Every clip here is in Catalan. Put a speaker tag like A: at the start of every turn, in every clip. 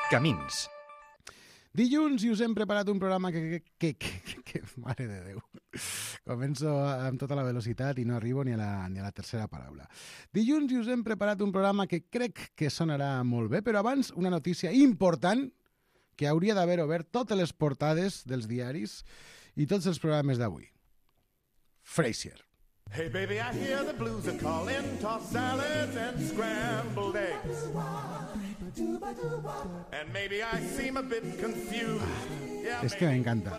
A: Camins.
B: Dilluns i us hem preparat un programa que mare de Déu, començo amb tota la velocitat i no arribo ni a la tercera paraula. Dilluns i us hem preparat un programa que crec que sonarà molt bé, però abans una notícia important que hauria d'haver obert totes les portades dels diaris i tots els programes d'avui. Frasier.
C: Hey baby, I hear the blues are calling, tossed salads and scrambled eggs. And maybe I seem a bit confused.
B: És que m'encanta.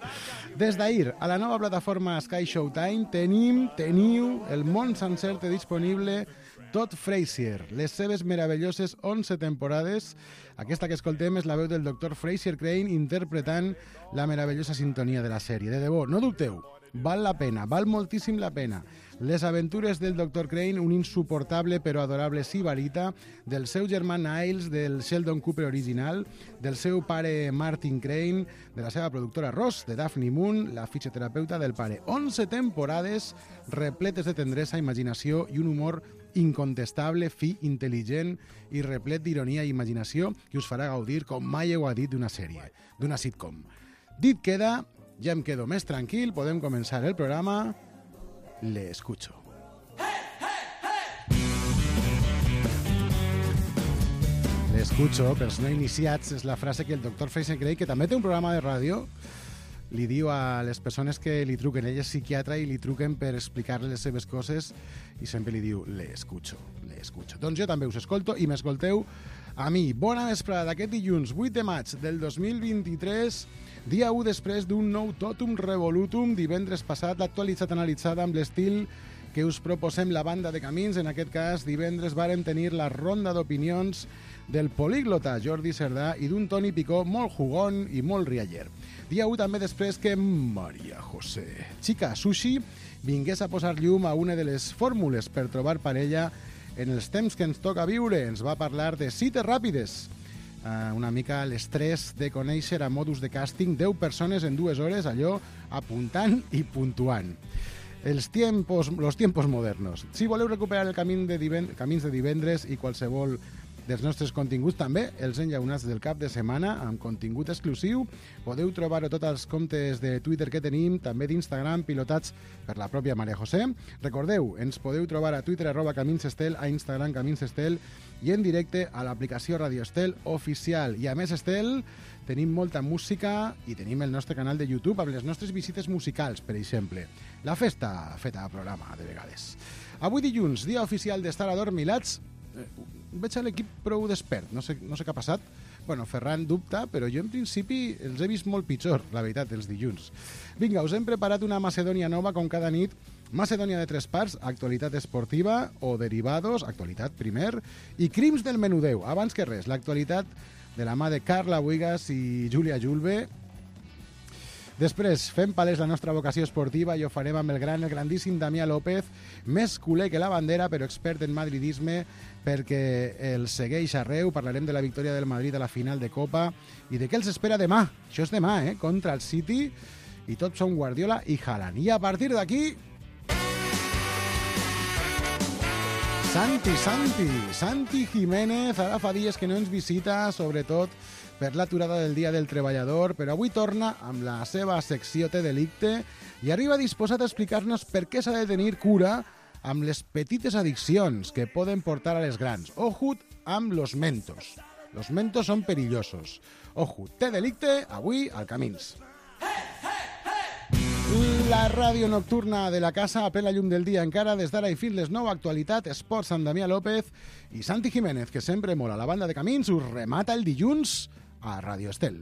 B: Des d'ahir, a la nova plataforma Sky Showtime teniu el món sencer té disponible tot Frasier, les seves meravelloses 11 temporades. Aquesta que escoltem és la veu del Dr. Frasier Crane interpretant la meravellosa sintonia de la sèrie. De debò, no dubteu, val la pena, val moltíssim la pena. Les aventures del Dr. Crane, un insuportable però adorable sibarita, del seu germà Niles, del Sheldon Cooper original, del seu pare Martin Crane, de la seva productora Ross, de Daphne Moon, la fisioterapeuta del pare. 11 temporades repletes de tendresa, imaginació i un humor incontestable, fi, intel·ligent i replet d'ironia i imaginació que us farà gaudir com mai heu dit d'una sèrie, d'una sitcom. Dit queda, ja em quedo més tranquil, podem començar el programa. Le escucho. Le escucho, pels no iniciats, és la frase que el Dr. Frasier Crane, que també té un programa de ràdio, li diu a les persones que li truquen. Ell és psiquiatra i li truquen per explicar-li les seves coses i sempre li diu, le escucho, le escucho. Doncs jo també us escolto i m'escolteu a mi. Bona vesprada d'aquest dilluns 8 de maig del 2023, dia 1 després d'un nou Totum Revolutum, divendres passat, l'actualitzat analitzada amb l'estil que us proposem la banda de Camins. En aquest cas, divendres vàrem tenir la ronda d'opinions del políglota Jordi Cerdà i d'un Toni Picó molt jugón i molt rialler. Dia 1 també després que Maria José Chica Sushi vingués a posar llum a una de les fórmules per trobar parella en els temps que ens toca viure. Ens va parlar de cites ràpides, una mica l'estrès de conèixer a modus de càsting 10 persones en 2 hores, allò apuntant i puntuant. Los tiempos modernos. Si voleu recuperar el camins de divendres i qualsevol dels nostres continguts, també els enllaunats del cap de setmana amb contingut exclusiu, podeu trobar-ho tots els comptes de Twitter que tenim, també d'Instagram, pilotats per la pròpia Maria José. Recordeu, ens podeu trobar a Twitter @CaminsEstel, a Instagram CaminsEstel i en directe a l'aplicació Radio Estel oficial. I a més, Estel, tenim molta música i tenim el nostre canal de YouTube amb les nostres visites musicals, per exemple. La festa feta a programa, de vegades. Avui dilluns, dia oficial d'estar adormilats. Veig a l'equip prou despert, no sé què ha passat. Bueno, Ferran dubta, però jo en principi els he vist molt pitjor, la veritat, els dilluns. Vinga, us hem preparat una Macedònia nova com cada nit. Macedònia de 3 parts, actualitat esportiva o derivados, actualitat primer, i crims del menudeu. Abans que res, l'actualitat de la mà de Carla Buigas i Júlia Julve. Després, fem palès la nostra vocació esportiva i ho farem amb el grandíssim Damià López, més culer que la bandera, però expert en madridisme, perquè el segueix arreu. Parlarem de la victòria del Madrid a la final de Copa i de què els espera demà. Això és demà, contra el City, i tots són Guardiola i Haaland. I a partir d'aquí, Santi Jiménez, ara fa dies que no ens visita, sobretot per l'aturada del Dia del Treballador, però avui torna amb la seva secció Té delicte i arriba disposat a explicar-nos per què s'ha de tenir cura amb les petites addiccions que poden portar a les grans. Ojut amb los mentos. Los mentos són perillosos. Ojut, Té delicte, avui al Camins. La ràdio nocturna de la casa a plena llum del dia encara des d'ara i fins les 9, actualitat, esports amb Damià López i Santi Jiménez, que sempre mola la banda de Camins, us remata el dilluns a Radio Estel.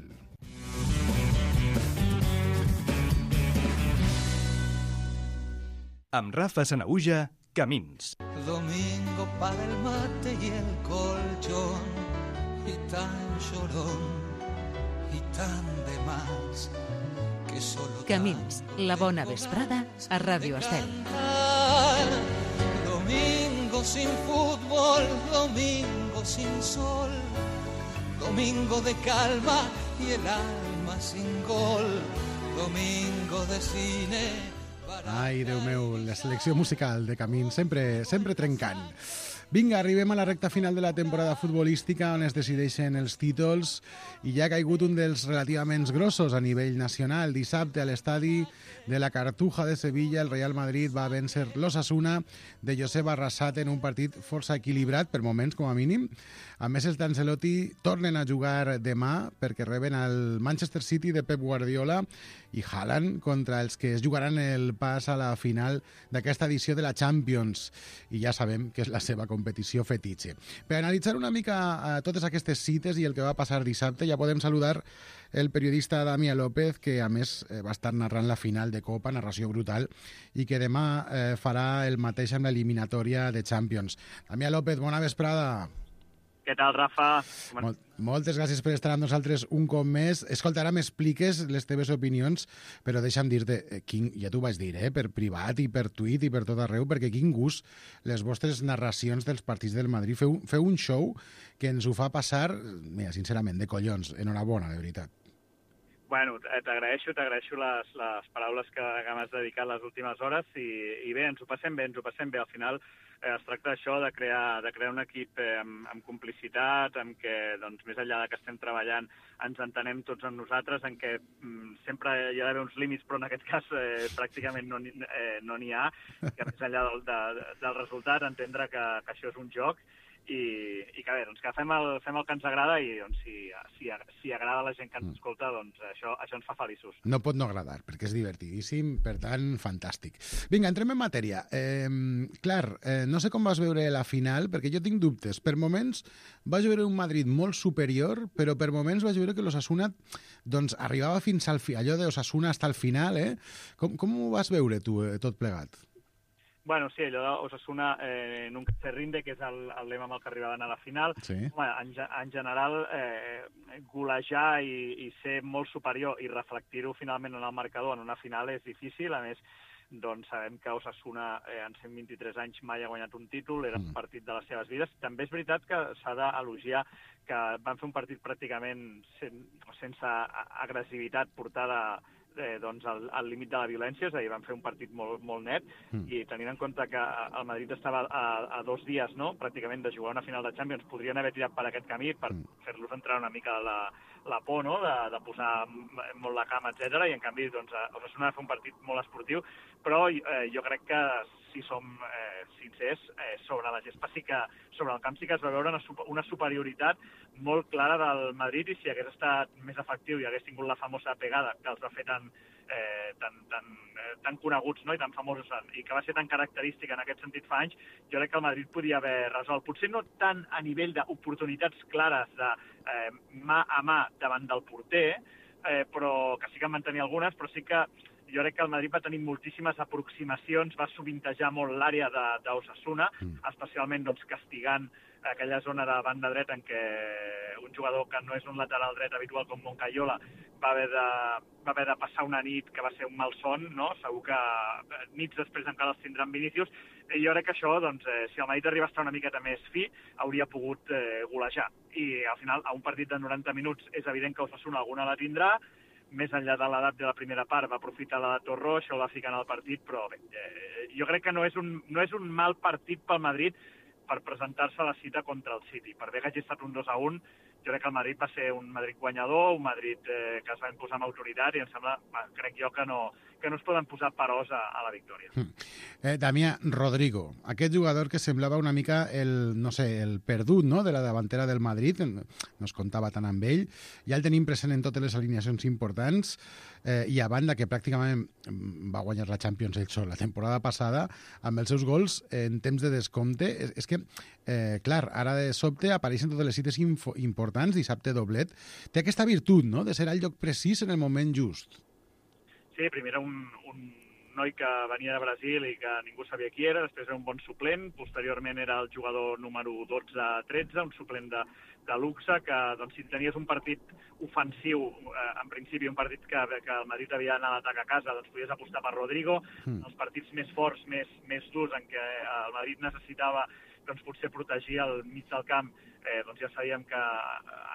A: Amb Rafa Sanahuja, Camins.
D: Domingo para el mate y el colchón, y tan llorón, y tan de más, que solo
E: Camins, la bona vesprada a Radio Estel.
D: Domingo sin fútbol, domingo sin sol, domingo de calma y el alma sin gol, domingo de cine.
B: Ai, Déu meu, la selecció musical de Camins, sempre trencant. Vinga, arribem a la recta final de la temporada futbolística on es decideixen els títols i ja ha caigut un dels relativament grossos a nivell nacional. Dissabte a l'estadi de la Cartuja de Sevilla el Real Madrid va vèncer l'Osasuna de Josep Arrasate en un partit força equilibrat, per moments com a mínim. A més, els d'Ancelotti tornen a jugar demà perquè reben el Manchester City de Pep Guardiola i Haaland contra els que es jugaran el pas a la final d'aquesta edició de la Champions. I ja sabem que és la seva competició fetitxe. Per analitzar una mica totes aquestes cites i el que va passar dissabte, ja podem saludar el periodista Damià López, que a més va estar narrant la final de Copa, narració brutal, i que demà farà el mateix amb l'eliminatòria de Champions. Damià López, bona vesprada.
F: Què tal, Rafa?
B: Moltes gràcies per estar amb nosaltres un cop més. Escolta, ara m'expliques les teves opinions, però deixa'm dir-te, ja t'ho vaig dir, per privat i per tuit i per tot arreu, perquè quin gust les vostres narracions dels partits del Madrid. Feu un show que ens ho fa passar, mira, sincerament, de collons. Enhorabona, de veritat.
F: Bueno, t'agraeixo les paraules que m'has dedicat les últimes hores i bé, ens ho passem bé. Al final es tracta d'això, de crear un equip amb complicitat, en què, doncs, més enllà de que estem treballant, ens entenem tots amb nosaltres, en què sempre hi ha d'haver uns límits, però en aquest cas pràcticament no n'hi ha, que més enllà del resultat, entendre que això és un joc, i que bé, doncs que fem el que ens agrada i doncs, si agrada a la gent que ens escolta, doncs això ens fa feliços.
B: No pot no agradar, perquè és divertidíssim, per tant, fantàstic. Vinga, entrem en matèria. No sé com vas veure la final, perquè jo tinc dubtes. Per moments vaig veure un Madrid molt superior, però per moments vaig veure que l'Osasuna doncs, arribava fins al final, allò d'Osasuna fins al final, Com ho vas veure tu, tot plegat?
F: Bueno, sí, allò d'Osasuna nunca se rinde, que és el lema amb el que arribaven a la final.
B: Sí.
F: Home, en general, golejar i ser molt superior i reflectir-ho finalment en el marcador en una final és difícil. A més, doncs sabem que Osasuna en 123 anys mai ha guanyat un títol, era un partit de les seves vides. També és veritat que s'ha d'elogiar que van fer un partit pràcticament sense agressivitat portada al límit de la violència, és a dir, van fer un partit molt net, i tenint en compte que el Madrid estava a 2 dies, no?, pràcticament de jugar una final de Champions, podrien haver tirat per aquest camí per fer-los entrar una mica la por, no?, de posar molt la cama, etc. I en canvi, doncs, Osasuna va fer un partit molt esportiu, però jo crec que, si som sincers, sobre la gespa sobre el camp sí que es va veure una superioritat molt clara del Madrid, i si hagués estat més efectiu i hagués tingut la famosa pegada que els va fer tan coneguts, no?, i tan famosos, i que va ser tan característica en aquest sentit fa anys, jo crec que el Madrid podia haver resolt. Potser no tant a nivell d'oportunitats clares de mà a mà davant del porter, però que sí que en van tenir algunes, però sí que jo crec que el Madrid va tenir moltíssimes aproximacions, va sovintejar molt l'àrea d'Osasuna, especialment doncs, castigant aquella zona de banda dreta en què un jugador que no és un lateral dret habitual com Moncayola va haver de passar una nit que va ser un malson, no? Segur que nits després encara els tindran Vinícius, i jo crec que això, doncs, si el Madrid arriba a estar una miqueta més fi, hauria pogut golejar. I al final, a un partit de 90 minuts, és evident que Osasuna alguna la tindrà, més enllà de l'edat de la primera part, va aprofitar l'edat Torró, això el va ficar en el partit, però bé, jo crec que no és un mal partit pel Madrid per presentar-se a la cita contra el City. Per bé que hagi estat un 2-1, jo crec que el Madrid va ser un Madrid guanyador, un Madrid que es va imposar amb autoritat, i em sembla, crec jo, que no es poden posar peròs a la victòria.
B: Damià, Rodrigo, aquest jugador que semblava una mica el perdut, no?, de la davantera del Madrid, no es comptava tant amb ell, ja el tenim present en totes les alineacions importants, i a banda que pràcticament va guanyar la Champions ell sol la temporada passada, amb els seus gols en temps de descompte, és que, clar, ara de sobte apareixen totes les cites importants, dissabte doblet, té aquesta virtut, no?, de ser al lloc precís en el moment just.
F: Sí, primer era un noi que venia de Brasil i que ningú sabia qui era, després era un bon suplent, posteriorment era el jugador número 12-13, un suplent de luxe, que doncs, si tenies un partit ofensiu, en principi un partit que el Madrid havia d'anar a l'atac a casa, doncs podies apostar per Rodrigo. Els partits més forts, més durs, en què el Madrid necessitava doncs, potser protegir el mig del camp, doncs ja sabíem que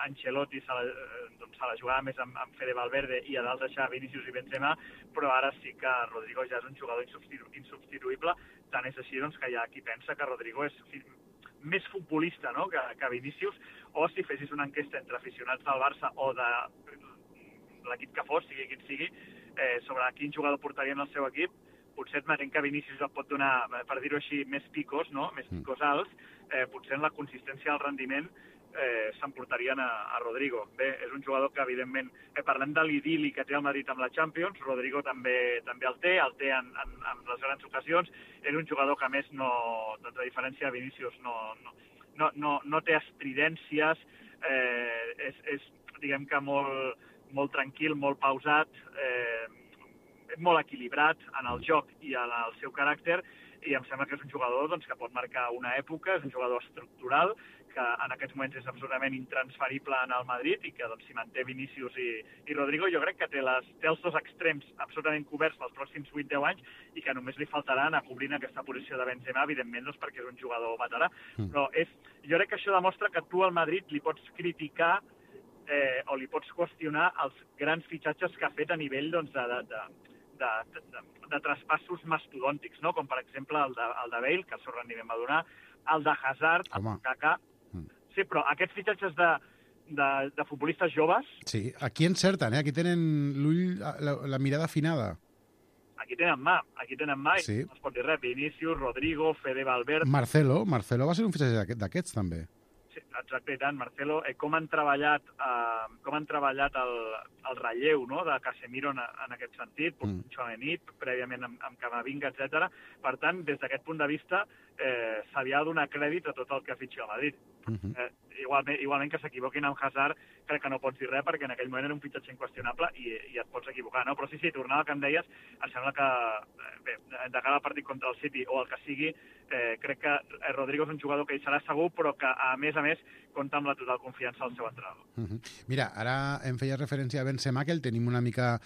F: Ancelotti se la jugava més amb Fede Valverde i a dalt deixar Vinícius i Benzema, però ara sí que Rodrigo ja és un jugador insubstituïble. Tant és així doncs, que hi ha qui pensa que Rodrigo és més futbolista, no?, que Vinícius, o si fessis una enquesta entre aficionats del Barça o de l'equip que fos, sigui quin sigui, sobre quin jugador portaria en el seu equip, potser admetent que Vinícius et pot donar, per dir-ho així, més picos, no?, més picos alts, potser en la consistència del rendiment s'emportarien a Rodrigo. Bé, és un jugador que, evidentment, parlem de l'idili que té el Madrid amb la Champions, Rodrigo també el té en les grans ocasions. És un jugador que, a més, doncs, a diferència de Vinícius, no té estridències, és, diguem que, molt tranquil, molt pausat, molt equilibrat en el joc i en el seu caràcter, i em sembla que és un jugador doncs, que pot marcar una època, és un jugador estructural, que en aquests moments és absolutament intransferible en el Madrid i que doncs, si manté Vinícius i Rodrigo, jo crec que té els dos extrems absolutament coberts pels pròxims 8-10 anys i que només li faltarà anar cobrint aquesta posició de Benzema, evidentment, doncs, perquè és un jugador veterà. Però jo crec que això demostra que tu al Madrid li pots criticar o li pots qüestionar els grans fitxatges que ha fet a nivell doncs, de traspassos mastodòntics, no? Com per exemple el de Bale, que el seu rendiment va donar, el de Hazard, el de Kaká. Sí, però aquests fitxatges de futbolistes joves...
B: Sí, aquí encerten, aquí tenen l'ull, la mirada afinada.
F: Aquí tenen mà, sí. I no es pot dir res. Vinícius, Rodrigo, Fede Valverde...
B: Marcelo va ser un fitxatge d'aquests, també.
F: Sí, exacte, i tant, Marcelo, com han treballat el relleu, no?, de Casemiro en aquest sentit, Tchouaméni, prèviament amb Camavinga, etc. Per tant, des d'aquest punt de vista, se li ha de donar crèdit a tot el que ha fitxat a Madrid. Igualment que s'equivoquin amb Hazard, crec que no pots dir res, perquè en aquell moment era un fitxatge inqüestionable i et pots equivocar, no? Però sí, tornant al que em deies, em sembla que, bé, de cara al partit contra el City o el que sigui, crec que Rodrigo és un jugador que hi serà segur, però que, a més, compta amb la total confiança del seu entrenador.
B: Mira, ara em feia referència a Benzema, que el tenim una mica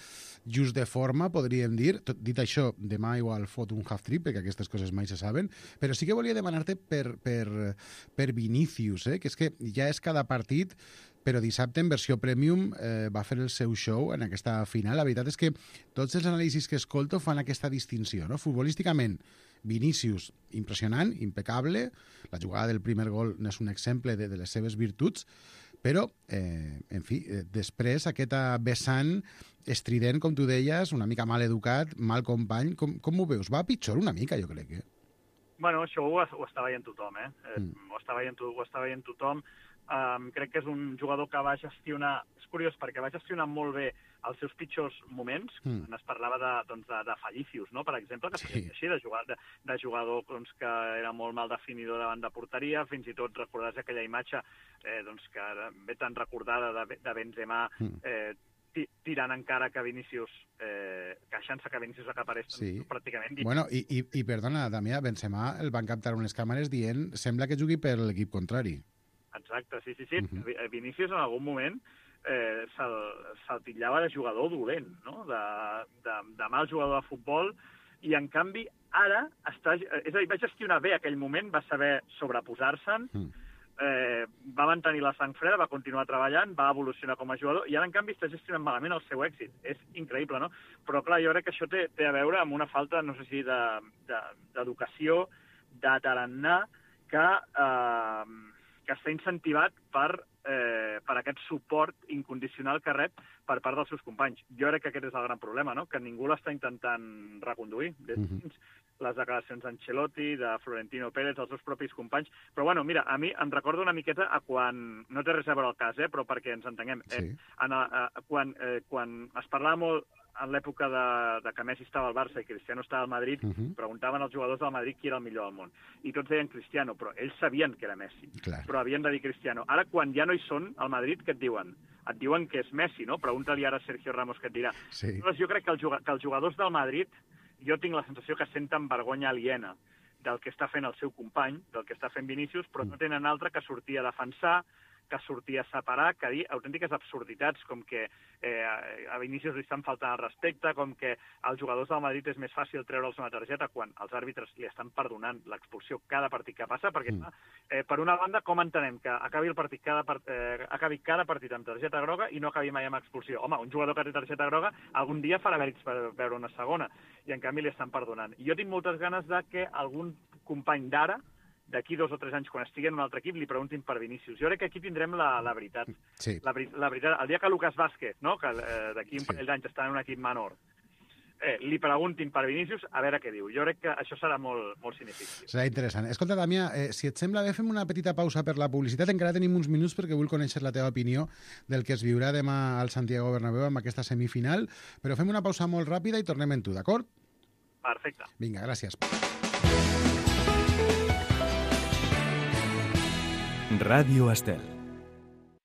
B: just de forma, podríem dir. Dit això, demà igual fot un half-trip, perquè aquestes coses mai se saben, però sí que volia demanar-te per Vinícius, que és que ja és cada partit, però dissabte en versió Premium va fer el seu show en aquesta final. La veritat és que tots els anàlisis que escolto fan aquesta distinció, no? Futbolísticament, Vinícius, impressionant, impecable, la jugada del primer gol n'és un exemple de les seves virtuts, però, en fi, després aquest vessant estrident, com tu deies, una mica mal educat, mal company, com ho veus? Va pitjor una mica, jo crec,
F: Bueno, això ho està veient tothom, Ho està veient tothom. Crec que és un jugador que va gestionar, és curiós perquè va gestionar molt bé els seus pitjors moments, quan es parlava de Fallicius, no?, per exemple, que sí. Així, de jugador doncs, que era molt mal definidor davant de porteria, fins i tot recordaràs aquella imatge doncs, que ve tan recordada de Benzema tirant encara que Vinícius, queixant-se que Vinícius acaparés pràcticament...
B: Bueno, i perdona, Damià, Benzema el van captar unes càmeres dient sembla que jugui per l'equip contrari.
F: Exacte, sí. Vinícius en algun moment se'l titllava de jugador dolent, no?, de mal jugador de futbol, i en canvi ara va gestionar bé aquell moment, va saber sobreposar-se'n, va mantenir la sang freda, va continuar treballant, va evolucionar com a jugador, i ara, en canvi, està gestionant malament el seu èxit. És increïble, no? Però, clar, jo crec que això té a veure amb una falta, no sé si, d'educació, de tarannà, que està incentivat per aquest suport incondicional que rep per part dels seus companys. Jo crec que aquest és el gran problema, no?, que ningú l'està intentant reconduir des dins les declaracions d'Ancelotti, de Florentino Pérez, dels seus propis companys. Però, bueno, mira, a mi em recorda una miqueta a quan... No té res a veure el cas, però perquè ens entenguem. Quan es parlava molt en l'època de que Messi estava al Barça i Cristiano estava al Madrid, preguntaven als jugadors del Madrid qui era el millor del món. I tots deien Cristiano, però ells sabien que era Messi. Clar. Però havien de dir Cristiano. Ara, quan ja no hi són al Madrid, què et diuen? Et diuen que és Messi, no? Pregunta-li ara a Sergio Ramos què et dirà. Sí. Llavors, jo crec que els jugadors del Madrid, jo tinc la sensació que senten vergonya aliena del que està fent el seu company, del que està fent Vinícius, però no tenen altre que sortir a defensar, que sortir a separar, que dir autèntiques absurditats, com que a Vinícius li estan faltant el respecte, com que als jugadors del Madrid és més fàcil treure'ls una targeta quan els àrbitres li estan perdonant l'expulsió cada partit que passa, perquè per una banda, com entenem que acabi cada partit amb targeta groga i no acabi mai amb expulsió? Home, un jugador que té targeta groga algun dia farà mèrits per veure una segona, i en canvi li estan perdonant. I jo tinc moltes ganes de que algun company d'ara, d'aquí 2 o 3 anys, quan estigui en un altre equip, li preguntin per Vinícius. Jo crec que aquí tindrem la veritat.
B: Sí.
F: La veritat, el dia que Lucas Vázquez, no? Que d'aquí un parell d'anys està en un equip menor, li preguntin per Vinícius, a veure què diu. Jo crec que això serà molt, molt significatiu.
B: Serà interessant. Escolta, Damià, si et sembla bé, fem una petita pausa per la publicitat. Encara tenim uns minuts perquè vull conèixer la teva opinió del que es viurà demà al Santiago Bernabéu amb aquesta semifinal, però fem una pausa molt ràpida i tornem en tu, d'acord?
F: Perfecte.
B: Vinga, gràcies.
A: Ràdio Estel.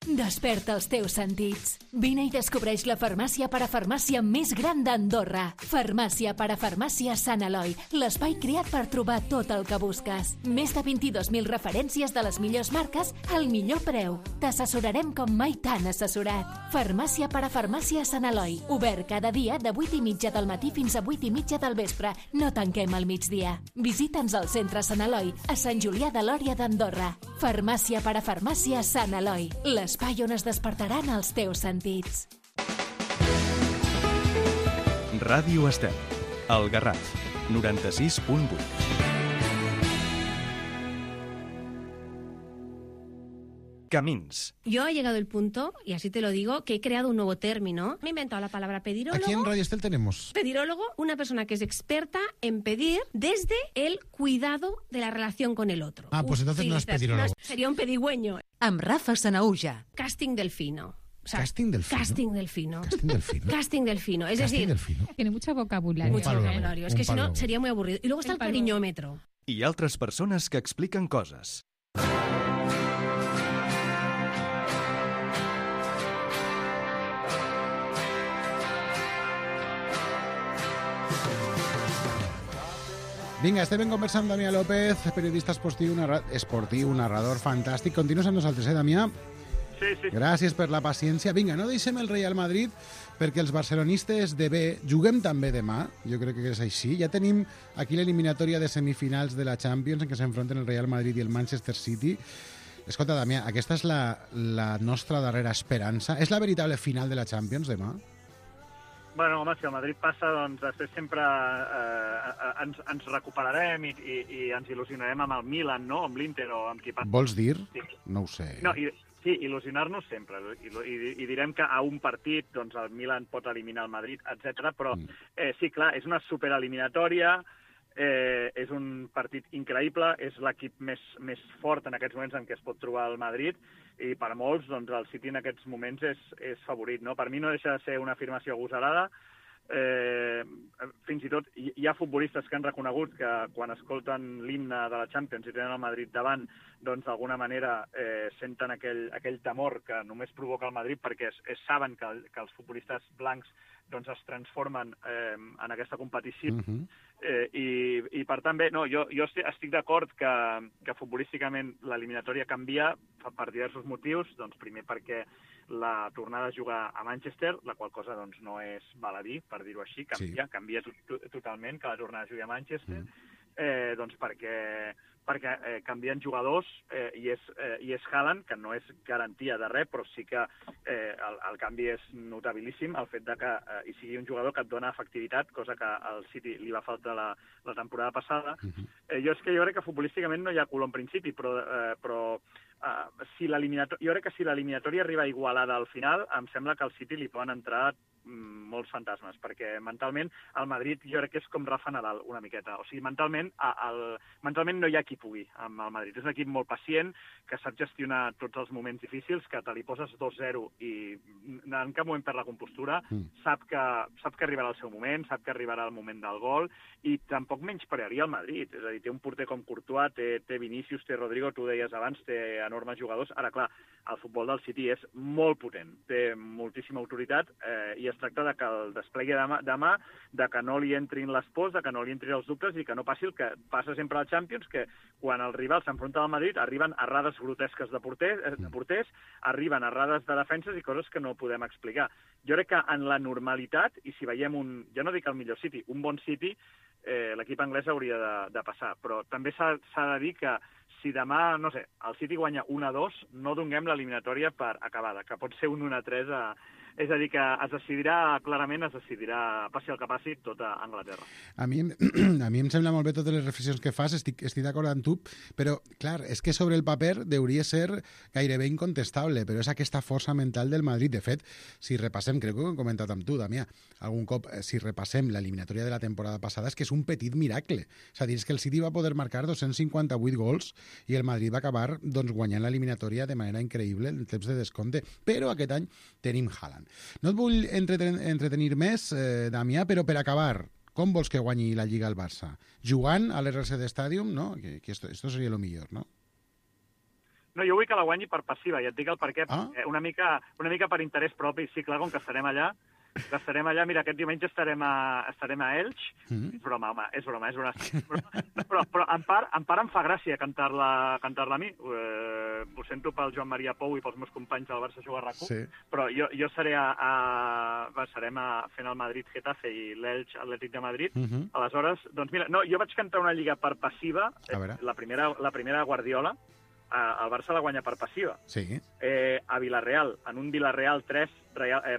E: Desperta els teus sentits. Vine i descobreix la farmàcia parafarmàcia més gran d'Andorra. Farmàcia parafarmàcia Sant Eloi, l'espai creat per trobar tot el que busques. Més de 22.000 referències de les millors marques al millor preu. T'assessorarem com mai t'han assessorat. Farmàcia parafarmàcia Sant Eloi, obert cada dia de 8:30 del matí fins a 8:30 del vespre. No tanquem al migdia. Visita'ns al centre Sant Eloi, a Sant Julià de Lòria d'Andorra. Farmàcia parafarmàcia Sant Eloi, l'espai on es despertaran els teus sentits.
A: Ràdio Estel. El Garraf. 96.8. Camins.
G: Yo he llegado el punto, y así te lo digo, que he creado un nuevo término. Me he inventado la palabra pedirólogo.
B: Aquí en Radio Estel tenemos...
G: Pedirólogo, una persona que es experta en pedir desde el cuidado de la relación con el otro.
B: Ah, pues entonces no es pedirólogo.
G: Sería un pedigüeño.
E: Amb Rafa Sanauja.
G: Casting delfino. O sea,
B: ¿Casting delfino?
G: Casting delfino.
B: Casting delfino.
G: Casting delfino. Es
B: Casting
G: decir,
B: delfino.
H: Tiene mucho vocabulario.
G: mucho
B: palólogo.
G: vocabulario. Es que si no, sería muy aburrido. Y luego está el cariñómetro.
A: I altres persones que expliquen coses.
B: Vinga, estem conversant amb Damià López, periodista esportiu, narrador fantàstic. Continues amb nosaltres, Damià?
F: Sí, sí.
B: Gràcies per la paciència. Vinga, no deixem el Real Madrid perquè els barcelonistes de B juguem també demà. Jo crec que és així. Ja tenim aquí l'eliminatòria de semifinals de la Champions en què s'enfronten el Real Madrid i el Manchester City. Escolta, Damià, aquesta és la nostra darrera esperança. És la veritable final de la Champions demà?
F: Bueno, home, si el Madrid passa, doncs després sempre ens recuperarem i ens il·lusionarem amb el Milan, no? Amb l'Inter o amb qui passa.
B: Vols dir?
F: Sí.
B: No ho sé.
F: No, sí, il·lusionar-nos sempre. I direm que a un partit doncs, el Milan pot eliminar el Madrid, etc. Però sí, clar, és una supereliminatòria, és un partit increïble, és l'equip més fort en aquests moments en què es pot trobar el Madrid, i per molts doncs, el City en aquests moments és favorit. No? Per mi no deixa de ser una afirmació agosarada. Fins i tot hi ha futbolistes que han reconegut que quan escolten l'himne de la Champions i tenen el Madrid davant, doncs d'alguna manera senten aquell temor que només provoca el Madrid perquè saben que els futbolistes blancs doncs es transformen en aquesta competició. I per tant, bé, no, jo estic d'acord que futbolísticament l'eliminatòria canvia per diversos motius. Doncs primer perquè la tornada a jugar a Manchester, la qual cosa doncs, no és baladí, per dir-ho així, canvia totalment que la tornada a jugar a Manchester, doncs perquè canvien jugadors i és Haaland, que no és garantia de res, però sí que el canvi és notabilíssim, el fet de que hi sigui un jugador que et dona efectivitat, cosa que al City li va faltar la temporada passada. Jo crec que futbolísticament no hi ha color en principi, però jo crec que si l'eliminatòria arriba igualada al final, em sembla que al City li poden entrar molts fantasmes, perquè mentalment el Madrid jo crec que és com Rafa Nadal una miqueta, o sigui, mentalment no hi ha qui pugui amb el Madrid, és un equip molt pacient, que sap gestionar tots els moments difícils, que te li poses 2-0 i en cap moment perd la compostura, sap que arribarà el seu moment, sap que arribarà el moment del gol, i tampoc menysprearia el Madrid, és a dir, té un porter com Courtois, té Vinícius, té Rodrigo, tu deies abans, té enormes jugadors. Ara, clar, el futbol del City és molt potent, té moltíssima autoritat i es tracta de que el desplegui demà, de que no li entrin les pors, de que no li entrin els dubtes i que no passi el que passa sempre al Champions, que quan el rival s'enfronta al Madrid arriben errades grotesques de porters, arriben errades de defenses i coses que no podem explicar. Jo crec que en la normalitat, i si veiem ja no dic el millor City, un bon City, l'equip anglès hauria de passar, però també s'ha de dir que si demà, no sé, el City guanya 1-2, no donem l'eliminatòria per acabada, que pot ser un 1-3 És a dir, que es decidirà, passi el que passi, tot a Anglaterra.
B: A mi em sembla molt bé totes les reflexions que fas, estic d'acord amb tu, però, clar, és que sobre el paper hauria ser gairebé incontestable, però és aquesta força mental del Madrid. De fet, si repassem, crec que ho hem comentat amb tu, Damià, algun cop, si repassem l'eliminatòria de la temporada passada, és que és un petit miracle. És a dir, és que el City va poder marcar 258 gols i el Madrid va acabar guanyant l'eliminatòria de manera increïble en temps de descompte. Però aquest any tenim Haaland. No et vull entretenir més, Damià, però per acabar, com vols que guanyi la Lliga al Barça? Jugant a l'RCD Stadium, no? Que esto seria lo millor, no?
F: No, jo vull que la guanyi per passiva, i et dic el perquè, una mica per interès propi, sí, clar, com que estarem allà, mira, aquest diumenge estarem a Elx. És broma, home, és broma. Però en part em fa gràcia cantar-la a mi. Ho sento pel Joan Maria Pou i pels meus companys del Barça Juga RAC1, sí. Però jo seré serem fent el Madrid-Getafe i l'Elx Atlètic de Madrid. Aleshores, doncs mira, no, jo vaig cantar una lliga per passiva, la primera Guardiola. El Barça la guanya per passiva.
B: Sí.
F: A Villarreal, en un Villarreal 3,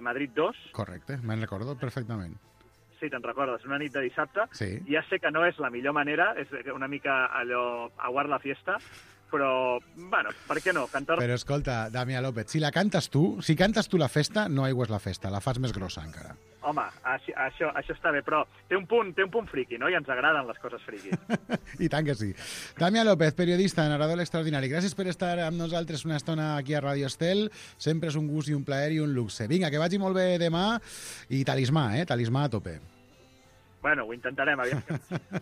F: Madrid 2.
B: Correcte, me'n recordo perfectament.
F: Sí, te'n recordes, una nit de dissabte.
B: Sí.
F: Ja sé que no és la millor manera, és una mica allò, aguard la fiesta, però, bueno, per què no?
B: Però escolta, Damià López, si cantes tu la festa, no aigües la festa, la fas més grossa encara.
F: Home, això està bé, però té un punt friqui, no? I ens agraden les coses friquis.
B: I tant que sí. Damià López, periodista, narrador extraordinari. Gràcies per estar amb nosaltres una estona aquí a Radio Estel. Sempre és un gust i un plaer i un luxe. Vinga, que vagi molt bé demà. I talismà, talismà a tope.
F: Bueno, ho intentarem, aviam.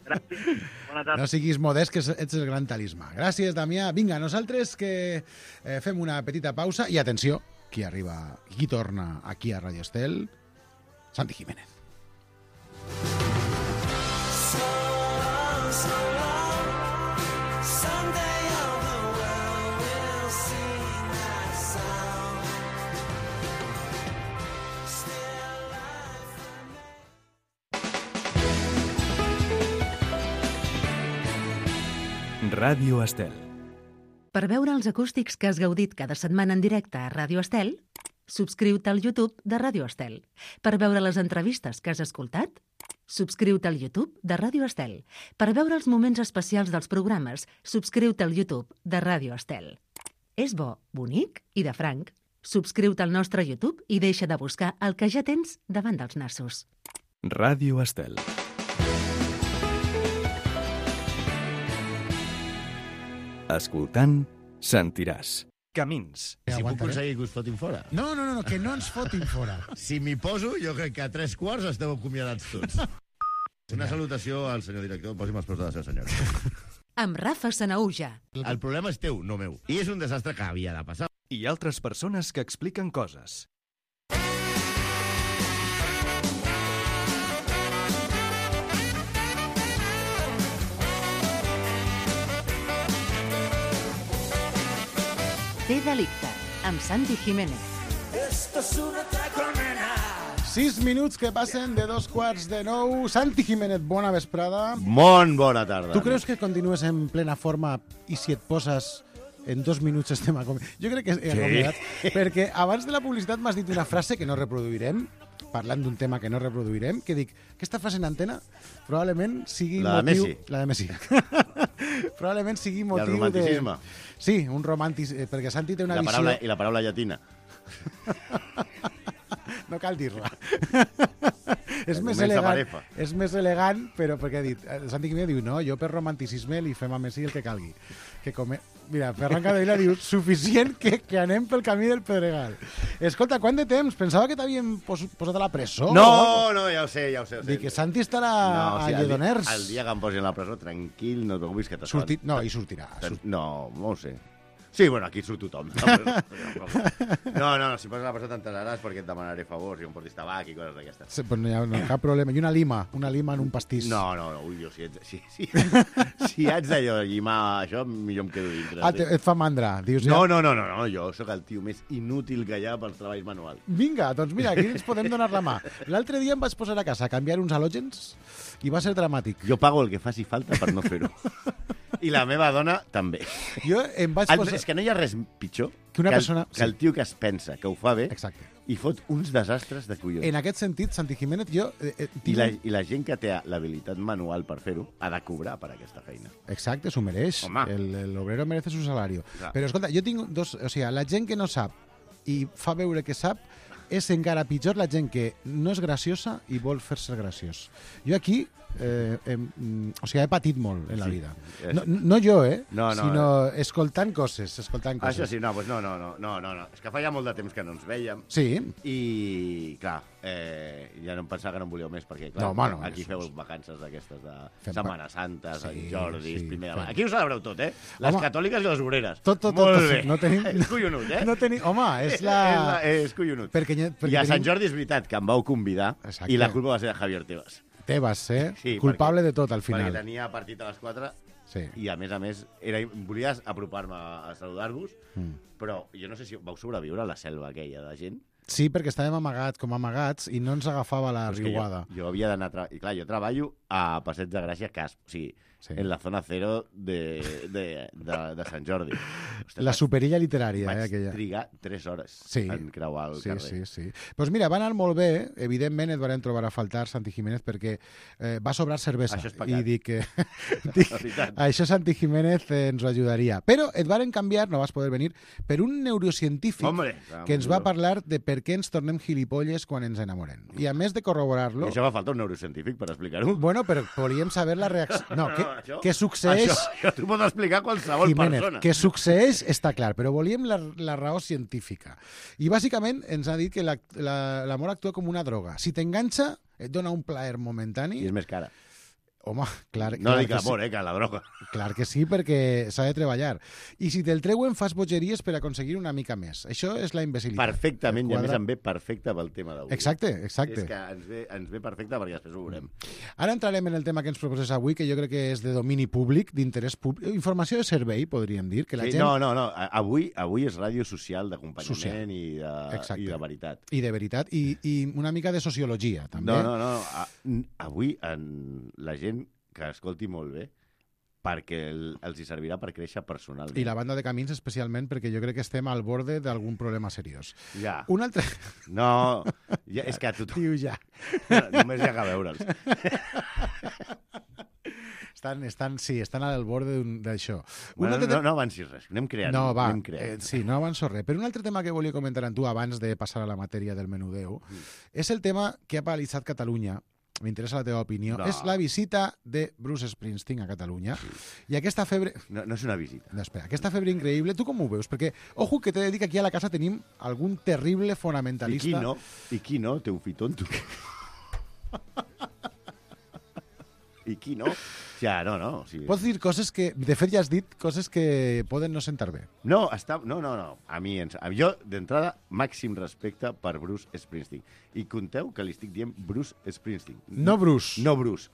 F: Gràcies. Bona tarda.
B: No siguis modest, que ets el gran talismà. Gràcies, Damià. Vinga, nosaltres que fem una petita pausa. I atenció, qui torna aquí a Radio Estel? Santi Jiménez.
A: Ràdio Estel.
H: Per veure els acústics que has gaudit cada setmana en directe a Ràdio Estel, subscriu-te al YouTube de Ràdio Estel. Per veure les entrevistes que has escoltat, subscriu-te al YouTube de Ràdio Estel. Per veure els moments especials dels programes, subscriu-te al YouTube de Ràdio Estel. És bo, bonic i de franc. Subscriu-te al nostre YouTube i deixa de buscar el que ja tens davant dels nassos.
A: Ràdio Estel. Escoltant, sentiràs. Camins.
I: Si puc aconseguir que us fotin fora.
B: No, que no ens fotin fora.
I: Si m'hi poso, jo crec que a 3/4 esteu acomiadats tots. Una salutació al senyor director. Posi'm els peus de la seva senyora.
H: Amb Rafa Sanaúja.
I: El problema és teu, no meu. I és un desastre que havia de passar.
A: I altres persones que expliquen coses.
H: Té delicte, amb Santi Jiménez.
B: 6 minuts que passen de 2:15. Santi Jiménez, bona vesprada.
I: Molt bona tarda.
B: Tu creus que continues en plena forma i si et poses en 2 minuts estem a comer? Jo crec que he acomiadat, perquè abans de la publicitat m'has dit una frase que no reproduirem, parlant d'un tema que no reproduirem, que dic, aquesta frase en antena probablement sigui
I: la
B: motiu...
I: de Messi.
B: La de Messi. Probablement sigui motiu de...
I: I el romanticisme.
B: Sí, un romanticisme, perquè Santi té una visió...
I: I la paraula llatina.
B: No cal dir-la. És més elegant, però perquè ha dit... Santi Jiménez diu, no, jo per romanticisme li fem a Messi el que calgui. Mira, Ferran Capdevila diu, suficient que anem pel camí del Pedregal. Escolta, quant de temps? Pensava que t'havien posat a la presó.
I: No, ja ho sé.
B: Dic que Santi estarà a Lledoners.
I: El dia que em posin a la presó, tranquil, no et preocupis que t'està...
B: No, hi sortirà.
I: No ho sé. Sí, bueno, aquí surt tothom. No, si poses a la presó t'enteraràs perquè et demanaré favors i em portis tabac i coses d'aquestes.
B: Sí, però no hi ha cap problema. I una lima en un pastís.
I: No, ui, jo si haig d'allò llimar això, millor em quedo dintre.
B: Ah, et fa mandra, dius ja?
I: No, jo sóc el tio més inútil que hi ha pels treballs manuals.
B: Vinga, doncs mira, aquí ens podem donar la mà. L'altre dia em vaig posar a casa a canviar uns halògens i va ser dramàtic.
I: Jo pago el que faci falta per no fer-ho. I la meva dona també.
B: Jo em vaig posar...
I: És que no hi ha res pitjor
B: que una persona...
I: que el tio que es pensa que ho fa bé
B: Exacte.
I: i fot uns desastres de collons.
B: En aquest sentit, Santi Jiménez, jo...
I: I la gent que té l'habilitat manual per fer-ho ha de cobrar per aquesta feina.
B: Exacte, s'ho mereix.
I: Home.
B: El obrero merece su salario.
I: Clar.
B: Però, escolta, jo tinc dos... O sigui, la gent que no sap i fa veure que sap és encara pitjor la gent que no és graciosa i vol fer-se graciós. Jo aquí... o sigui, he patit molt en la vida. No jo, sinó escoltant coses.
I: Això sí, no, és que fa ja molt de temps que no ens vèiem.
B: Sí.
I: I, clar, ja no em pensava que no em volíeu més, perquè, clar, aquí feu vacances d'aquestes de Setmana Santa, Sant Jordi, primer de maig. Aquí ho celebreu tot, Les catòliques i les obreres.
B: Tot.
I: Molt bé.
B: No tenim...
I: És collonut,
B: Home, és la...
I: És collonut. I a Sant Jordi és veritat que em vau convidar i la culpa va ser de Javier Tebas.
B: Tebas, culpable de tot, al final.
I: Perquè tenia partit a les 4 i, a més, volies apropar-me a saludar-vos, però jo no sé si vau sobreviure a la selva aquella de gent.
B: Sí, perquè estàvem amagats i no ens agafava la riuada.
I: Jo havia d'anar... I clar, jo treballo a Passeig de Gràcia, o sigui, en la zona cero de Sant Jordi. Ostres,
B: la superilla literària, aquella.
I: Vaig trigar 3 hores en creuar el carrer.
B: Sí. Doncs mira, va anar molt bé. Evidentment et van trobar a faltar, Santi Jiménez, perquè va sobrar cervesa.
I: Això és pecat.
B: I dic, això Santi Jiménez ens ho ajudaria. Però et varen canviar, no vas poder venir, per un neurocientífic que ens va parlar de per què ens tornem gilipolles quan ens enamorem. I a més de corroborar-lo...
I: I això va faltar un neurocientífic per explicar-ho?
B: Bueno, però volíem saber la reacció... No, què succeeix...
I: Això t'ho pot explicar qualsevol persona.
B: Què succeeix està clar, però volíem la raó científica. I bàsicament ens ha dit que l'amor actua com una droga. Si t'enganxa, et dona un plaer momentani...
I: I és més cara.
B: Home, clar
I: no dic amor, que la droga.
B: Clar que sí, perquè s'ha de treballar. I si te'l treuen, fas bogeries per aconseguir una mica més. Això és la imbecilitat.
I: Perfectament, i a més em ve perfecte pel tema d'avui.
B: Exacte.
I: És que ens ve perfecte perquè després ho veurem.
B: Ara entrarem en el tema que ens proposes avui, que jo crec que és de domini públic, d'interès públic, informació de servei, podríem dir. Que la gent...
I: No. Avui és ràdio social, d'acompanyament i de veritat.
B: I de veritat, i una mica de sociologia, també.
I: No. Avui la gent que escolti molt bé, perquè els hi servirà per créixer personalment.
B: I la banda de Camins especialment, perquè jo crec que estem al borde d'algun problema seriós.
I: Ja.
B: Un altre...
I: No, és que tothom...
B: Diu ja.
I: Només hi ha que veure'ls.
B: Estan al borde d'això.
I: No avancis res, anem creant.
B: No, va, sí, no avanço res. Però un altre tema que volia comentar amb tu abans de passar a la matèria del menudeu és el tema que ha paralitzat Catalunya. M'interessa la teva opinió. És la visita de Bruce Springsteen a Catalunya. I aquesta febre...
I: No és una visita.
B: No, espera, aquesta febre increïble, tu com ho veus? Perquè, ojo, que t'he de dir que aquí a la casa tenim algun terrible fonamentalista...
I: I qui no? Té un fitonto. I qui no? Ja, no. Sí.
B: Pots dir coses que... De fet, ja has dit coses que poden no sentar bé.
I: No. A mi, jo, d'entrada, màxim respecte per Bruce Springsteen. I compteu que li estic dient Bruce Springsteen.
B: No Bruce.
I: No Bruce.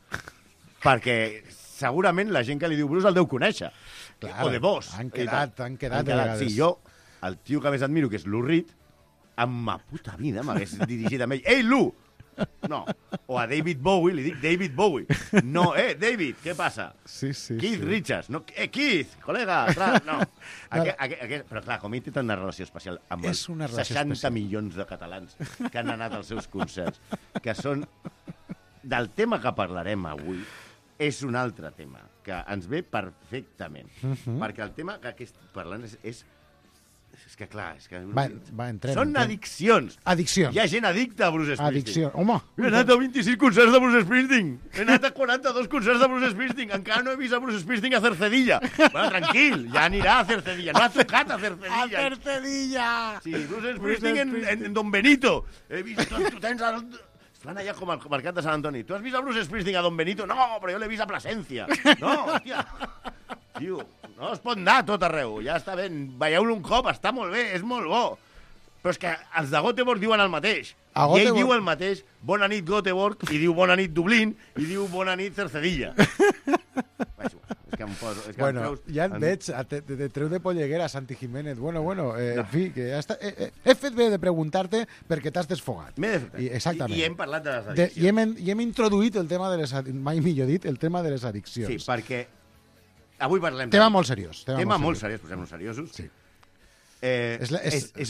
I: Perquè segurament la gent que li diu Bruce el deu conèixer.
B: Clar,
I: o de vos.
B: Han quedat de vegades.
I: Sí, jo, el tio que més admiro, que és Lou Reed, en ma puta vida m'hagués dirigit a ell. Ei, Lou! No. O a David Bowie, li dic David Bowie. No, David, què passa?
B: Sí.
I: Keith Richards. No, Keith, col·lega. No. Però clar, com ell té tant una relació especial amb els 60 milions de catalans que han anat als seus concerts, que són... Del tema que parlarem avui és un altre tema, que ens ve perfectament. Perquè el tema que estic parlant és que clar, és que... Són addiccions.
B: Addiccions.
I: Hi ha gent addicta a Bruce Springsteen.
B: Home.
I: He anat a 26 concerts de Bruce Springsteen. He anat a 42 concerts de Bruce Springsteen. Encara no he vist a Bruce Springsteen a Cercedilla. Bueno, tranquil, ja anirà a Cercedilla. No ha tocat a Cercedilla.
B: A Cercedilla!
I: Sí, Bruce Springsteen en Don Benito. He vist... Tu tens... Estan allà com al mercat de Sant Antoni. Tu has vist a Bruce Springsteen a Don Benito? No, però jo l'he vist a Plasencia. No, hòstia. Tio, no es pot anar a tot arreu. Ja està bé, veieu-lo un cop, està molt bé, és molt bo. Però és que els de Göteborg diuen el mateix. I ell diu el mateix, bona nit Göteborg, i diu bona nit Dublín, i diu bona nit Cercedilla. És que em poso...
B: Bueno, ja et veig, te treu de polleguera, Santi Jiménez. Bueno, en fi, que ja està... He fet bé de preguntar-te perquè t'has desfogat.
I: M'he desfogat.
B: Exactament.
I: I hem parlat de les addiccions.
B: I hem introduït el tema de les... Mai millor dit, el tema de les addiccions.
I: Sí, perquè Avui parlem...
B: Tema molt seriós.
I: Tema molt seriós, posem-nos seriosos.
B: Sí.
I: És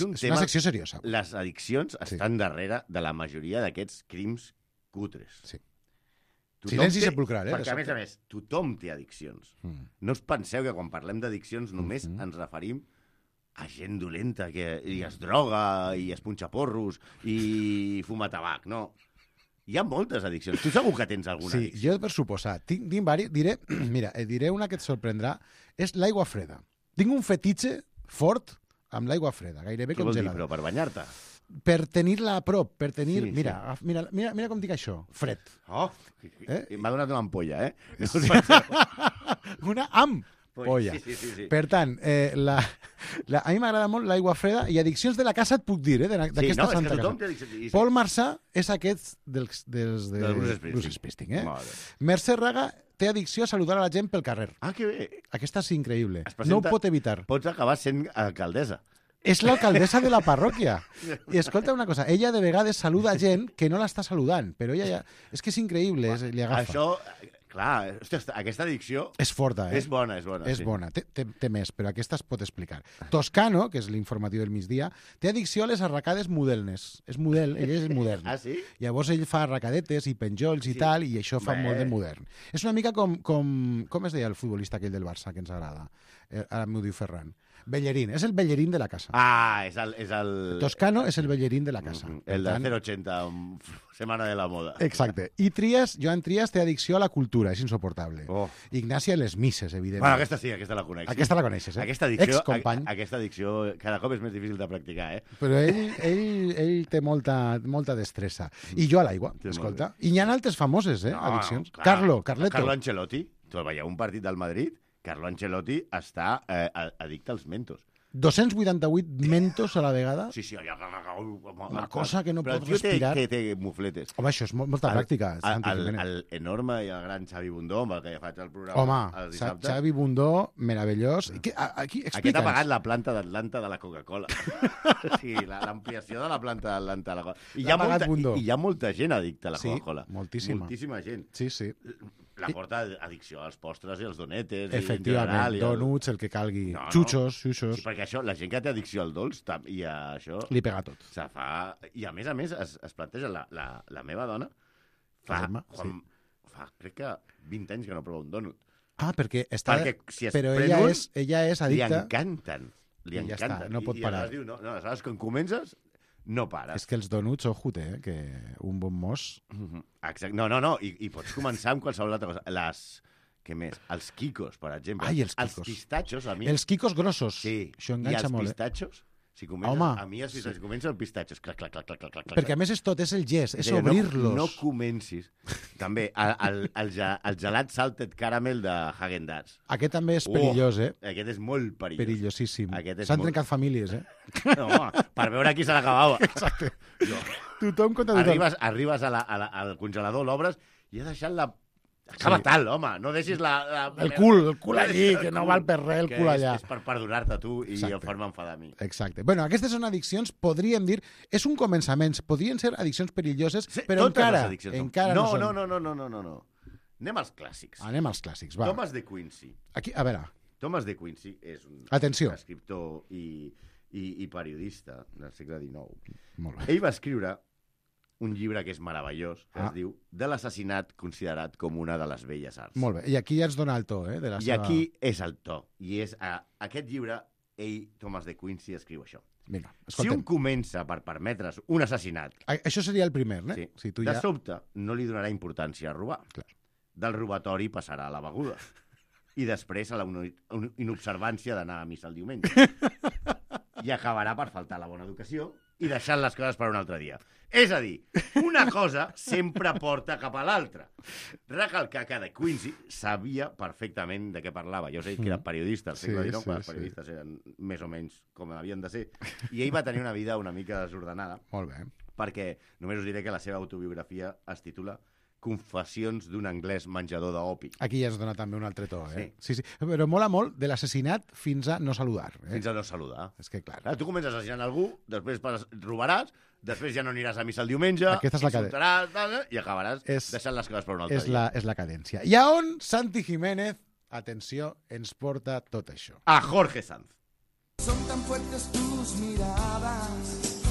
I: un tema...
B: una secció seriosa.
I: Les addiccions estan darrere de la majoria d'aquests crims cutres.
B: Sí. Silenci sepulcral,
I: Perquè, a més, tothom té addiccions. No us penseu que quan parlem d'addiccions només ens referim a gent dolenta que i es droga, i es punxa porros, i fuma tabac, no. Hi ha moltes addiccions. Tu segur que tens alguna addicció.
B: Sí, jo per suposar. Tinc diré una que et sorprendrà. És l'aigua freda. Tinc un fetitxe fort amb l'aigua freda, gairebé
I: congelada. Què vol dir, però per banyar-te?
B: Per tenir-la a prop, per tenir... Sí, mira com dic això, fred.
I: Oh, m'ha donat una ampolla,
B: Una ampolla.
I: Sí.
B: Per tant, a mi m'agrada molt l'aigua freda i addiccions de la casa et puc dir, d'aquesta santa casa. Paul Marçà és aquest dels Bruce Springsteen. Mercè Raga té addicció a saludar a la gent pel carrer.
I: Ah, que bé.
B: Aquesta és increïble. No ho pot evitar.
I: Pots acabar sent alcaldessa.
B: És l'alcaldessa de la parròquia. I escolta una cosa, ella de vegades saluda gent que no l'està saludant, però ella ja... És que és increïble, li agafa.
I: Això, clar, aquesta addicció...
B: És forta,
I: És bona.
B: És bona, té més, però aquesta es pot explicar. Toscano, que és l'informatiu del migdia, té addicció a les arracades modernes. És model, ell és modern.
I: Ah, sí?
B: Llavors ell fa arracadetes i penjolls i tal, i això fa molt de modern. És una mica com es deia el futbolista aquell del Barça, que ens agrada? Ara m'ho diu Ferran. Bellerín, és el Bellerín de la casa.
I: Ah, és el...
B: Toscano és el Bellerín de la casa.
I: El de 080, Setmana de la Moda.
B: Exacte. I Joan Trias té addicció a la cultura, és insoportable. Ignasi a les misses, evidentment.
I: Bueno, aquesta sí, aquesta la coneixes.
B: Aquesta la coneixes,
I: Aquesta addicció cada cop és més difícil de practicar,
B: Però ell té molta destressa. I jo a l'aigua, escolta. I n'hi ha altres famoses, addiccions. Carleto.
I: Carlo Ancelotti. Tu veieu un partit del Madrid? Carlo Ancelotti està addicte als mentos.
B: 288 mentos a la vegada?
I: Sí.
B: Una cosa que no pot respirar.
I: Però té mufletes.
B: Home, això és molta pràctica.
I: L'enorme i el gran Xavi Bundó, amb el que ja faig el programa.
B: Home, Xavi Bundó, meravellós.
I: Aquest ha pagat la planta d'Atlanta de la Coca-Cola. Sí, l'ampliació de la planta d'Atlanta de la Coca-Cola. I hi ha molta gent addicta a la Coca-Cola.
B: Sí, moltíssima.
I: Moltíssima gent.
B: Sí.
I: La porta addicció als postres i als donetes.
B: Efectivament, donuts, el que calgui. Xuxos.
I: Sí, perquè això, la gent que té addicció al dolç i a això...
B: Li pega tot.
I: Se fa... I a més es planteja, la meva dona fa crec que 20 anys que no prova un donut.
B: Ah, perquè està...
I: Si
B: però ella és addicta...
I: Li encanten.
B: Ja està, no pot parar.
I: I aleshores, quan comences, no pares.
B: És que els donuts, ojut, que un bon mos...
I: Exacte. No, i pots començar amb qualsevol altra cosa. Què més? Els quicos, per exemple.
B: Ai, els quicos.
I: Els pistatxos, a mi...
B: Els quicos grossos.
I: Sí.
B: Això enganxa molt,
I: I els pistatxos, si comences el pistatxos, clac.
B: Perquè a més és el gest, és obrir-los.
I: No comencis. També, el gelat salted caramel de Häagen-Dazs.
B: Aquest també és perillós,
I: Aquest és molt perillós.
B: Perillosíssim. S'han trencat famílies,
I: No, per veure qui se l'acabava.
B: Exacte. Tothom contra tothom.
I: Arribes al congelador, l'obres i has deixat la... Acaba tal, home, no deixis
B: el cul allí, que no val per res el cul allà.
I: És per perdonar-te a tu i fer-me enfadar a mi.
B: Exacte. Bueno, aquestes són addiccions, podríem dir, és un començament, podrien ser addiccions perilloses, però encara no són.
I: No. Anem als clàssics.
B: Va.
I: Thomas de Quincey.
B: Aquí, a veure.
I: Thomas de Quincey és un escriptor i periodista del segle XIX.
B: Molt bé.
I: Ell va escriure un llibre que és meravellós, que es diu De l'assassinat considerat com una de les belles arts.
B: Molt bé, i aquí ja ens dona el to, de la seva...
I: I aquí és el to, i és aquest llibre, Thomas de Quincey, escriu això.
B: Vinga,
I: si un comença per permetre's un assassinat...
B: Això seria el primer,
I: Sí. Si tu de sobte no li donarà importància a robar.
B: Clar.
I: Del robatori passarà a la beguda. I després a la inobservància d'anar a missa el diumenge. I acabarà per faltar la bona educació i deixant les coses per un altre dia. És a dir, una cosa sempre porta cap a l'altra. Recalcar que de Quincey sabia perfectament de què parlava. Ja us he dit que era periodista al segle XIX, quan els periodistes eren més o menys com havien de ser. I ell va tenir una vida una mica desordenada.
B: Molt bé.
I: Perquè només us diré que la seva autobiografia es titula Confessions d'un anglès menjador d'opi.
B: Aquí ja es dona també un altre to, Sí. Però mola molt de l'assassinat fins a no saludar.
I: Fins a no saludar.
B: És que, clar.
I: Tu comences assassinant algú, després robaràs, després ja no aniràs a missa el diumenge,
B: insultaràs
I: i acabaràs deixant les coses per un altre dia.
B: És la cadència. I a on Santi Jiménez atenció, ens porta tot això.
I: A Jorge Sanz.
J: Son tan fuertes tus miradas,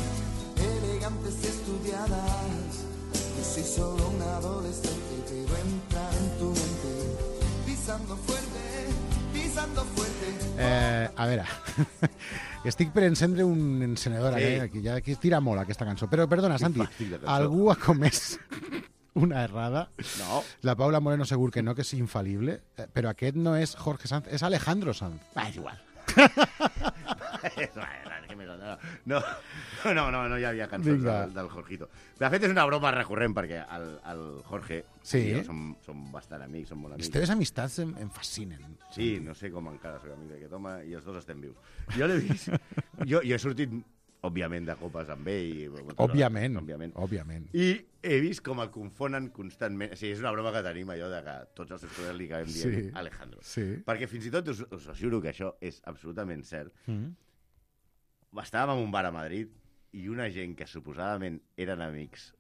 J: elegantes y estudiadas. Yo soy solo un adolescente, pero entrar en tu mente, pisando fuerte, pisando fuerte.
B: A veure, estic per encendre un encenedor, aquí ja aquí tira molt aquesta cançó. Però perdona, Santi, algú ha comès una errada?
I: No.
B: La Paula Moreno segur que no, que és infal·lible, però aquest no és Jorge Sanz, és Alejandro Sanz.
I: És igual. No hi havia cançons del Jorgito. De fet, és una broma recurrent, perquè el Jorge i jo som bastant amics, som molt amics.
B: Les teves amistats em fascinen.
I: Sí, no sé com encara soc amic d'aquest home i els dos estem vius. Jo l'he vist... Jo he sortit, òbviament, de copes amb ell.
B: Òbviament.
I: I he vist com el confonen constantment. O sigui, és una broma que tenim, allò de que tots els estudiants li acabem dient Alejandro.
B: Sí.
I: Perquè fins i tot us asseguro que això és absolutament cert. Estàvem en un bar a Madrid i una gent que suposadament eren amics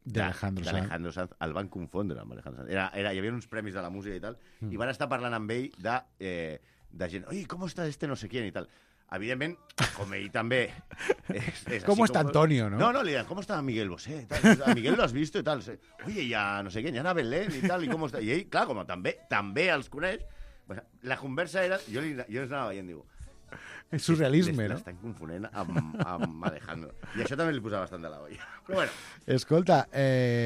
I: d'Alejandro Sanz el van confondre amb Alejandro Sanz. Hi havia uns premis de la música i tal, i van estar parlant amb ell de gent, oi, com està este no sé quién i tal. Evidentment, com ell també...
B: Com està Antonio, no?
I: No, li diuen, com està Miguel Bosé? A Miguel lo has visto i tal. Oye, ya no sé quién, ya Ana Belén i tal, i com està... I ell, clar, com també els coneix, la conversa era... Jo els anava veient, diu...
B: És surrealisme, no?
I: L'estan confonent amb Alejandro. I això també li posava bastant de la olla. Però bueno.
B: Escolta,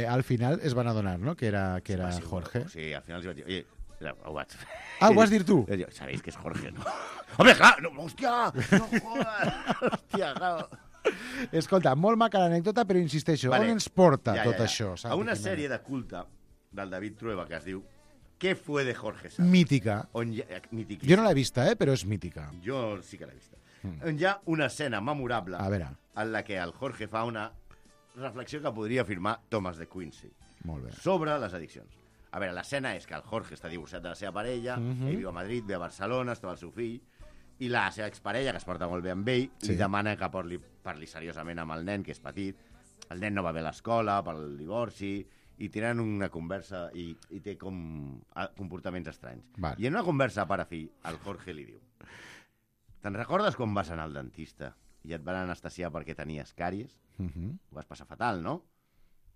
B: al final es van adonar, no?, que era Jorge.
I: Sí, al final els vaig dir, oye, ho vaig fer.
B: Ah, ho vas dir tu?
I: Sabéis que és Jorge, no? Home, clar, no, hòstia, no jodas, hòstia, clar.
B: Escolta, molt maca l'anècdota, però insisteixo, on ens porta tot això?
I: A una sèrie de culte del David Trueba que es diu ¿Qué fue de Jorge Sanz?
B: Mítica. Jo no l'he vista, però és mítica.
I: Jo sí que l'he vista. On hi ha una escena memorable en la que el Jorge fa una reflexió que podria afirmar Thomas de Quincey sobre les addiccions. A veure, l'escena és que el Jorge està divorciat de la seva parella, ell viu a Madrid, ve a Barcelona, està amb el seu fill, i la seva exparella, que es porta molt bé amb ell, li demana que parli seriosament amb el nen, que és petit. El nen no va bé a l'escola pel divorci, i tenen una conversa i té com comportaments estranys. I en una conversa pare-fill, el Jorge li diu: te'n recordes quan vas anar al dentista i et van anestesiar perquè tenies càries? Ho vas passar fatal, no?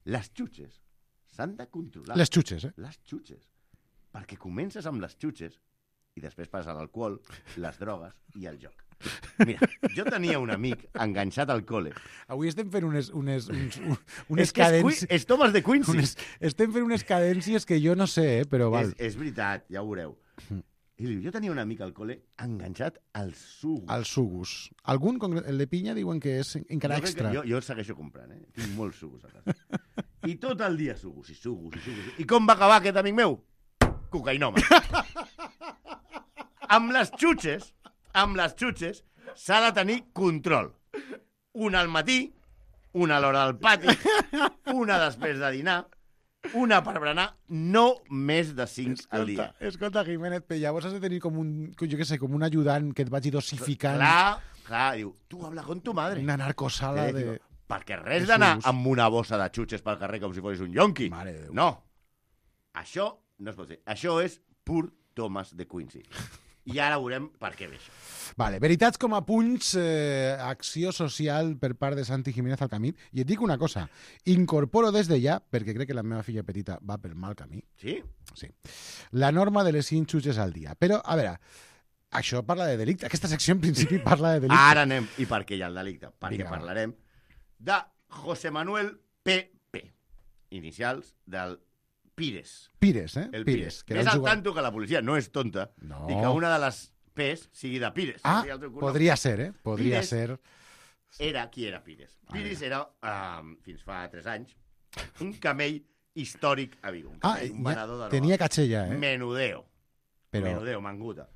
I: Les xutxes s'han de controlar.
B: Les xutxes,
I: Les xutxes. Perquè comences amb les xutxes i després passes a l'alcohol, les drogues i el joc. Mira, jo tenia un amic enganxat al col·le.
B: Avui estem fent unes cadències...
I: És Thomas de Quincey.
B: Estem fent unes cadències que jo no sé, però val.
I: És veritat, ja ho veureu. I diu, jo tenia un amic al col·le enganxat als sugus.
B: Als sugus. Algun, el de pinya, diuen que és encara extra.
I: Jo el segueixo comprant, Tinc molts sugus a casa. I tot el dia sugus i sugus i sugus. I com va acabar aquest amic meu? Cocainòman. Amb les xutxes s'ha de tenir control. Una al matí, una a l'hora del pati, una després de dinar, una per berenar, no més de 5 al dia.
B: Escolta, Jiménez, llavors has de tenir com un ajudant que et vagi dosificant.
I: Clar, diu, tu habla con tu madre.
B: Una narcosala de...
I: Perquè res d'anar amb una bossa de xutxes pel carrer com si fos un yonqui. No. Això no es pot fer. Això és pur Thomas de Quincey. I ara veurem per què ve això.
B: Vale, veritats com a punys, acció social per part de Santi Jiménez al camí. I et dic una cosa, incorporo des de ja, perquè crec que la meva filla petita va pel mal camí.
I: Sí?
B: Sí. La norma de les 5 xutxes al dia. Però, a veure, això parla de delicte. Aquesta secció, en principi, parla de delicte.
I: Ara anem. I per què hi ha el delicte? Perquè parlarem de José Manuel P.P. Inicials del Pires.
B: Pires,
I: El Pires. Ves al tanto que la policia no és tonta i que una de les P's sigui de Pires.
B: Podria ser, Podria ser.
I: Qui era Pires? Pires era, fins fa 3 anys, un camell històric a Vigo. Un venedor de droga.
B: Tenia caché ja,
I: Menudeo. Menudeo, manguta.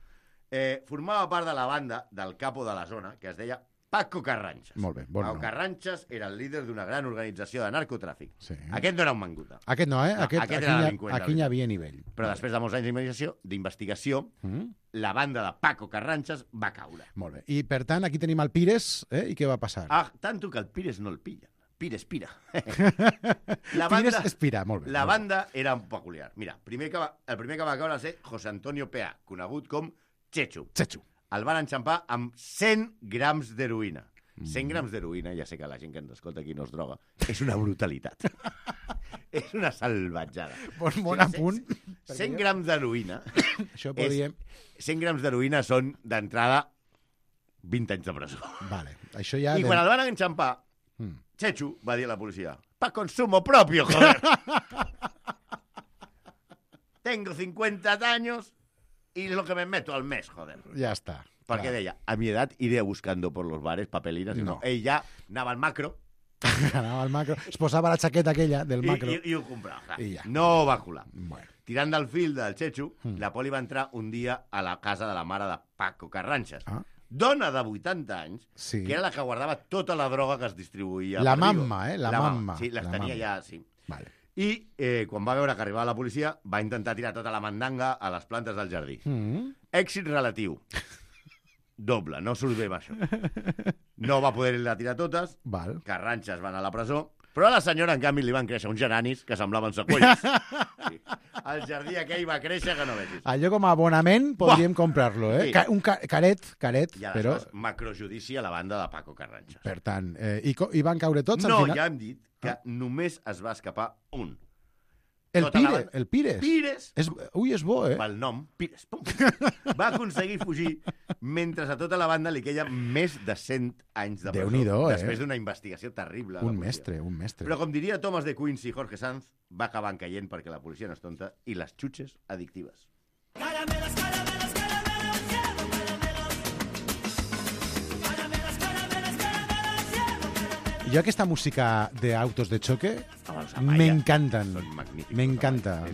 I: Formava part de la banda del capo de la zona, que es deia Paco Carranchas.
B: Molt bé, bon nom.
I: Paco Carranchas era el líder d'una gran organització de narcotràfic. Sí. Aquest no era un manguta.
B: Aquest no, Aquest era delinqüent. Aquí hi havia nivell.
I: Però després de molts anys d'investigació, la banda de Paco Carranchas va caure.
B: Molt bé. I, per tant, aquí tenim el Pires, i què va passar?
I: Tanto que el Pires no el pillen. Pires, pira.
B: Pires espira, molt bé.
I: La banda era peculiar. Mira, el primer que va caure va ser José Antonio Peá, conegut com Chechu. El van enxampar amb 100 grams d'heroïna. 100 grams d'heroïna, ja sé que la gent que ens escolta aquí no es droga, és una brutalitat. És una salvatjada.
B: Bon apunt.
I: 100 grams d'heroïna...
B: Això podríem...
I: 100 grams d'heroïna són, d'entrada, 20 anys de presó.
B: Vale, això ja...
I: I quan el van enxampar, Chechu va dir a la policia, pa consumo propio, joder. Tengo 50 años y lo que me meto al mes, joder.
B: Ja està.
I: Perquè deia, a mi edat iré buscando por los bares papelinas. No. Ell ja anava al macro.
B: Anava al macro. Es posava la xaqueta aquella del macro.
I: I ho comprava.
B: I ja.
I: No va colar.
B: Bueno.
I: Tirant del fil del Chechu, la poli va entrar un dia a la casa de la mare de Paco Carranxes. Dona de 80 anys, que era la que guardava tota la droga que es distribuïa.
B: La mamma, La mamma.
I: Sí, les tenia ja, sí.
B: Vale.
I: I quan va veure que arribava la policia, va intentar tirar tota la mandanga a les plantes del jardí. Èxit relatiu. Doble, no surt bé amb això. No va poder-la tirar totes, Carranxes va anar a la presó, però a la senyora, en canvi, li van créixer uns geranis que semblaven seqüells. Sí. El jardí aquell va créixer que no vegis.
B: Allò com a abonament podríem comprar-lo, eh?
I: Sí.
B: Un caret,
I: I aleshores, macrojudici a la banda de Paco Carranxes.
B: Per tant, i van caure tots al
I: final?
B: final?
I: No, ja hem dit que només es va escapar un.
B: El Pires.
I: Pires.
B: Ui, és bo, eh?
I: Pel nom, Pires. Pum. Va aconseguir fugir mentre a tota la banda li queia més de 100 anys de presó.
B: Déu-n'hi-do,
I: Després d'una investigació terrible.
B: Un mestre.
I: Però com diria Thomas de Quincy i Jorge Sanz, va acabar caient perquè la policia no és tonta i les xutxes addictives.
J: Caramelos, caramelos, caramelos, cielo, caramelos. Caramelos, caramelos, caramelos, cielo, caramelos.
B: Jo aquesta música d'autos de choque m'encanten. M'encanta.
I: Los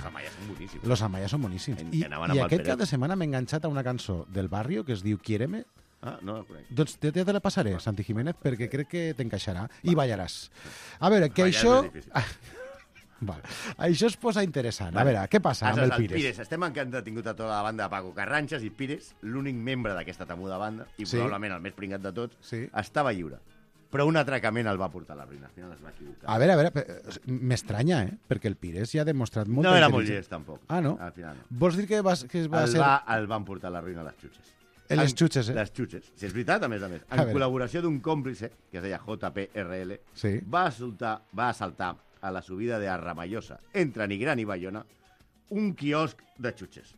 I: Amayas són boníssims.
B: Los Amayas són boníssims. I aquest cap de setmana m'he enganxat a una cançó del barrio que es diu Quiéreme.
I: Ah, no la conec.
B: Doncs ja te la passaré, Santi Jiménez, perquè crec que t'encaixarà. I ballaràs. A veure, que això... Vale. Això es posa interessant. A veure, què passa amb el Pires?
I: Estem entretingut a tota la banda de Paco Carranxes i Pires, l'únic membre d'aquesta temuda banda, i probablement el més pringat de tots, estava lliure. Però un atracament el va portar a la ruïna. Al final es va equivocar.
B: A veure, m'estranya, perquè el Pires ja ha demostrat molta
I: No era molt llest, tampoc.
B: Ah, no?
I: Al final no.
B: Vols dir que va ser...
I: El van portar a la ruïna les xutxes.
B: Les xutxes, eh?
I: Les xutxes. Si és veritat, a més. En col·laboració d'un còmplice, que es deia JPRL, va assaltar a la subida de Arramallosa, entre Nigrán i Bayona, un quiosc de xutxes.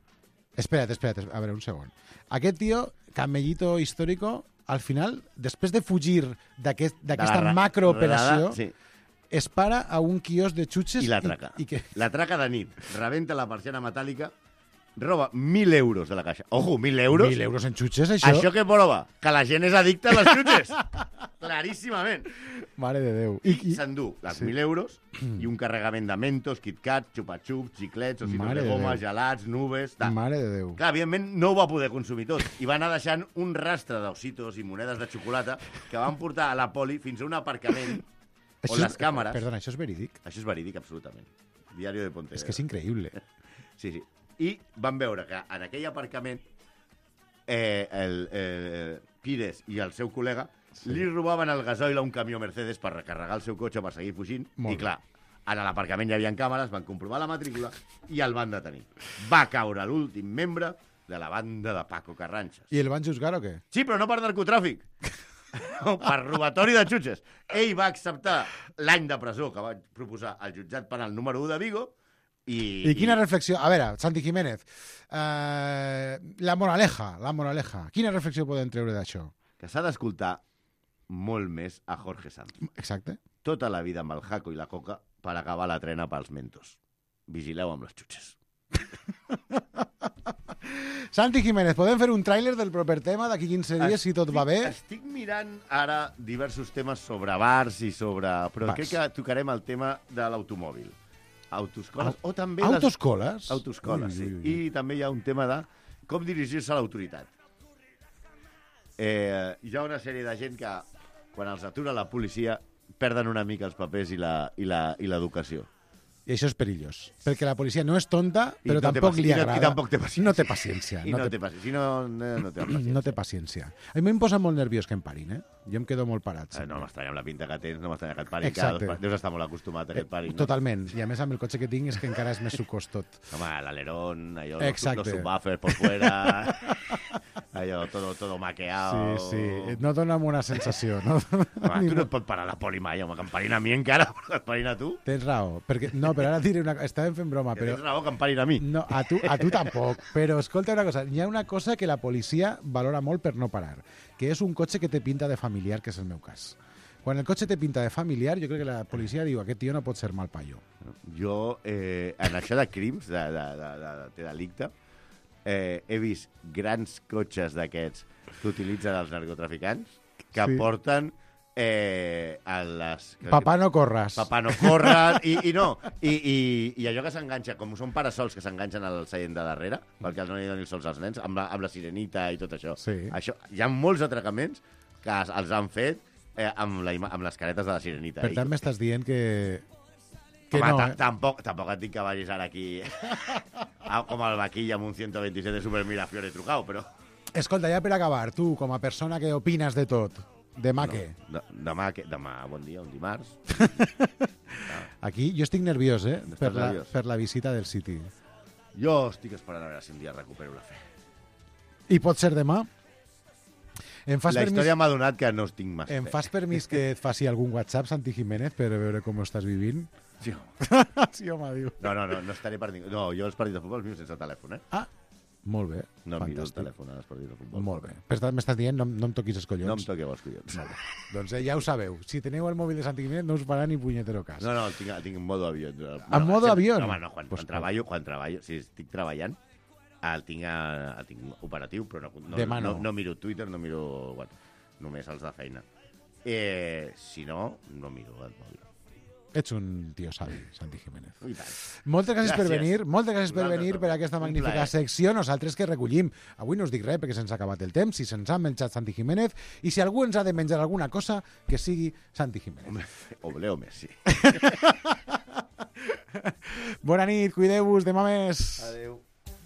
B: Espera't, a veure, un segon. Aquest tio, camellito històrico, al final, després de fugir d'aquesta macrooperació, es para a un quiosc de xutxes...
I: I l'atraca. L'atraca de nit, rebenta la persiana metàl·lica, roba 1.000 euros de la caixa. Ojo, 1.000 euros?
B: 1.000 euros en xutxes, això?
I: Això què prova? Que la gent és addicta a les xutxes. Claríssimament.
B: Mare de Déu.
I: I s'endú les 1.000 euros i un carregament de Mentos, KitKat, xupa-xups, xiclets, ositos de goma, gelats, nubes...
B: Mare de Déu.
I: Clar, evidentment no ho va poder consumir tot i va anar deixant un rastre d'ositos i monedes de xocolata que van portar a la poli fins a un aparcament on les càmeres...
B: Perdona, això és verídic?
I: Això és verídic, absolutament. Diario de Pontevedra.
B: És que és increïble.
I: Sí. I van veure que en aquell aparcament el Pires i el seu col·lega li robaven el gasoil a un camió Mercedes per recarregar el seu cotxe per seguir fugint. I clar, a l'aparcament hi havia càmeres, van comprovar la matrícula i el van detenir. Va caure l'últim membre de la banda de Paco Carranxes.
B: I el van juzgar o què?
I: Sí, però no per narcotràfic. Per robatori de xutxes. Ell va acceptar l'any de presó que va proposar el jutjat penal número 1 de Vigo. I
B: quina reflexió... A veure, Santi Jiménez, la moraleja. Quina reflexió podem treure d'això?
I: Que s'ha d'escoltar molt més a Jorge Sanz.
B: Exacte.
I: Tota la vida amb el jaco i la coca per acabar la trena pels mentos. Vigileu amb les xutxes.
B: Santi Jiménez, podem fer un tràiler del proper tema d'aquí 15 dies, si tot va bé?
I: Estic mirant ara diversos temes sobre bars i sobre... Però crec que tocarem el tema de l'automòbil. Autoscoles, o també...
B: Autoscoles?
I: Autoscoles, sí. I també hi ha un tema de com dirigir-se a l'autoritat. Hi ha una sèrie de gent que, quan els atura la policia, perden una mica els papers i l'educació.
B: I això és perillós. Perquè la policia no és tonta, però
I: no
B: tampoc li agrada.
I: I tampoc té paciència.
B: No té paciència.
I: No té paciència. No té paciència.
B: No té paciència. A mi em posa molt nerviós que em parin, Jo em quedo molt parat.
I: No m'estranya amb la pinta que tens, no m'estranya que et parin.
B: Exacte.
I: Deus estar molt acostumat a que et parin. No?
B: Totalment. I a més amb el cotxe que tinc és que encara és més sucós tot.
I: Home, l'alerón, allò,
B: Exacte.
I: los subwoofers por fuera, allò, todo maqueado...
B: Sí. No dona una sensació. No?
I: Home, tu no et pot parar la poli mai, home, que em parin a mi encara, però que et parin a tu.
B: Tens raó. No, però ara diré una cosa. Estàvem fent broma, però...
I: Tens raó que em parin a mi.
B: No, a tu tampoc. Però escolta una cosa. Hi ha una cosa que la policia valora molt per no parar, que és un cotxe que té pinta de familiar, que és el meu cas. Quan el cotxe té pinta de familiar, jo crec que la policia diu aquest tio no pot ser mal paio.
I: Jo, en això de crims, de delicte, he vist grans cotxes d'aquests que utilitzen els narcotraficants que porten a les...
B: Papà no corres.
I: Papà no corres, i allò que s'enganxa, com són parasols que s'enganxen al seient de darrere, perquè els no hi donin sols als nens, amb la sirenita i tot això.
B: Sí.
I: Hi ha molts atracaments que els han fet amb les caretes de la sirenita.
B: Per tant, m'estàs dient que
I: home,
B: no,
I: tampoc et dic que vagis ara aquí com el vaquilla amb un 127 de Super Mirafiore trucau, però...
B: Escolta, ja per acabar, tu, com a persona que opines de tot, demà què?
I: Demà, bon dia, un dimarts.
B: Aquí jo estic nerviós, per la visita del City.
I: Jo estic esperant a veure si un dia recupero la fe.
B: I pot ser demà?
I: La història m'ha donat que no estic massa.
B: Em fas permís que et faci algun WhatsApp, Santi Jiménez, per veure com ho estàs vivint?
I: Sí,
B: sí, home, diu.
I: No estaré per ningú. No, jo els partits de futbol els viu sense telèfon,
B: Ah, molt bé.
I: No em miro el telèfon als partits de futbol.
B: Molt bé. Per tant, m'estàs dient, no em toquis els collons.
I: No em toqueu els collons.
B: Molt bé. Doncs ja ho sabeu. Si teniu el mòbil de Santi Jiménez, no us farà ni punyetero cas.
I: No, el tinc en modo avió.
B: En modo avió?
I: No, home, quan treballo, si estic treballant, el tinc operatiu, però no miro Twitter, no miro... Bueno, només els de feina. Si no miro el mòbil.
B: Ets un tio savi, Santi Jiménez.
I: I tant.
B: Moltes gràcies per venir, per aquesta magnífica secció. Nosaltres que recollim. Avui no us dic res perquè se'ns ha acabat el temps, si se'ns ha menjat Santi Jiménez, i si algú ens ha de menjar alguna cosa, que sigui Santi Jiménez.
I: O Leo Messi.
B: Bona nit, cuideu-vos, demà més.
I: Adéu.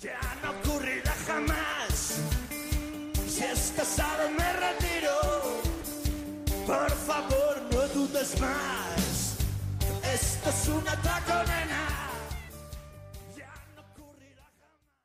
J: Ya no ocurrirá jamás. Si estás casado me retiro. Por favor, no dudes más. Esto es un atraco, nena.